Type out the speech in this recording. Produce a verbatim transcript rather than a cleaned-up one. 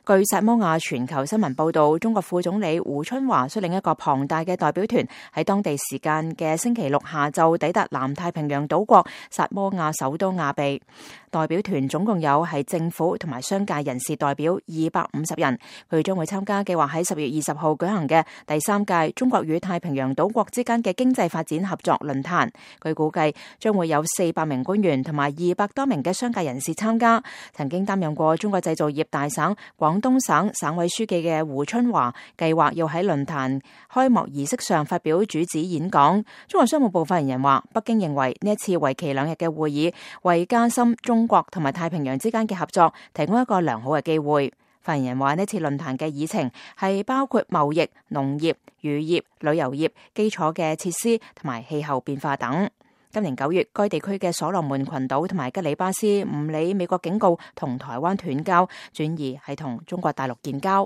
據薩摩亞全球新聞報道，中國副總理胡春華率領一個龐大嘅代表團喺當地時間嘅星期六下晝抵達南太平洋島國薩摩亞首都亞庇。代表團總共有係政府同埋商界人士代表二百五十人，佢將會參加計劃喺十月二十號舉行嘅第三屆中國與太平洋島國之間嘅經濟發展合作論壇。據估計將會有四百名官員同埋二百多名嘅商界人士參加。曾經擔任過中國製造業大省廣東省省委書記嘅胡春華計劃要喺論壇開幕儀式上發表主旨演講。中國商務部發言人話，北京認為呢一次為期兩日嘅會議為加深中國同埋太平洋之間嘅合作提供一個良好嘅機會。發言人話，呢次論壇嘅議程係包括貿易、農業、漁業、旅遊業、基礎嘅設施同埋氣候變化等。今年九月，該地區嘅所羅門群島同埋吉里巴斯唔理美國警告同台灣斷交，轉而係同中國大陸建交。